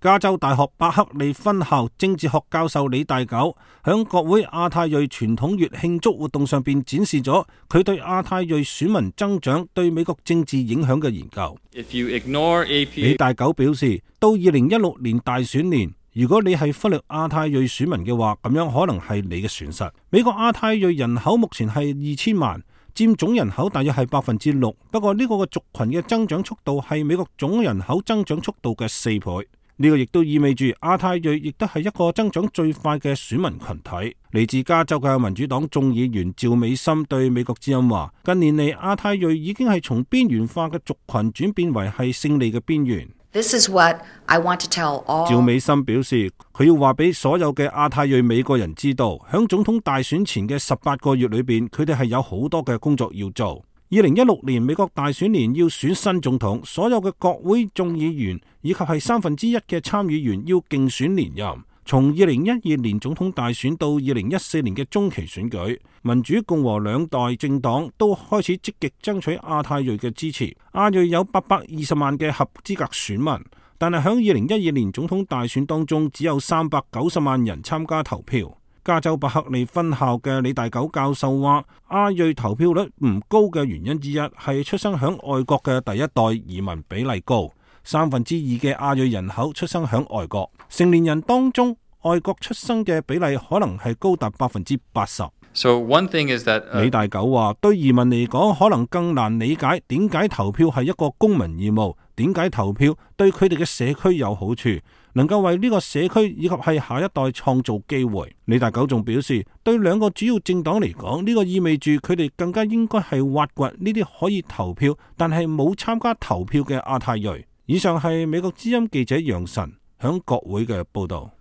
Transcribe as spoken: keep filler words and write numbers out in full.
加州大學伯克利分校政治學教授李大九響國會亞太裔傳統月慶祝活動上邊展示咗佢對亞太裔選民增長對美國政治影響嘅研究。If you ignore A P A... 李大九表示，到二零一六年大選年，如果你係忽略亞太裔選民嘅話，咁樣可能係你嘅損失。美國亞太裔人口目前係二千萬，佔總人口大約係百分之六。不過呢個嘅族群嘅增長速度係美國總人口增長速度嘅四倍。呢個亦都意味住亞太裔亦都係一個增長最快嘅選民群體。嚟自加州嘅民主黨眾議員趙美心對美國之音話：近年嚟亞太裔已經係從邊緣化嘅族群轉變為係勝利嘅邊緣。This is what I want to tell all. 趙美心表示，佢要話俾所有嘅亞太裔美國人知道，響總統大選前嘅十八個月裏邊，佢哋係有好多嘅工作要做。二零一六年美國大選年要選新總統，所有嘅國會眾議員以及係三分之一嘅參議員要競選連任。從二零一二年總統大選到二零一四年嘅中期選舉，民主共和兩代政黨都開始積極爭取亞太裔嘅支持。亞裔有八百二十萬嘅合資格選民，但係響二零一二年總統大選當中，只有三百九十萬人參加投票。加州伯克利分校嘅李大九教授話，亞裔投票率唔高嘅原因之一係出生響外國嘅第一代移民比例高，三分之二嘅亞裔人口出生響外國，成年人當中外國出生嘅比例可能係高達百分之八十。So one thing is that, uh... 李大九話，對移民嚟講可能更難理解點解投票係一個公民義務，點解投票對佢哋嘅社區有好處，能夠為呢個社區以及係下一代創造機會。李大九仲表示，對兩個主要政黨嚟講，呢個意味住佢哋更加應該係挖掘呢啲可以投票但係冇參加投票嘅亞太裔。以上係美國之音記者楊晨響國會嘅報道。